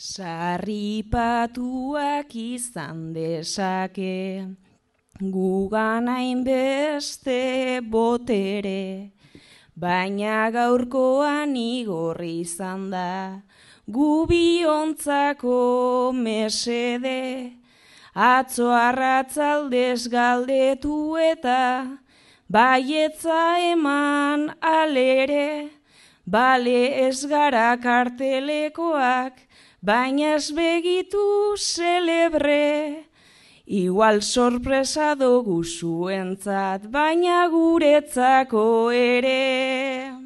Sarripatuak izan dezake, gugan hainbeste botere, baina gaurkoan igorri izan da, gu biontzako mesede, atzo arratzaldez galdetu eta, baietza eman alere, bale ez gara kartelekoak, baina ez begitu celebre, igual sorpresa dugu zuentzat, baina guretzako ere.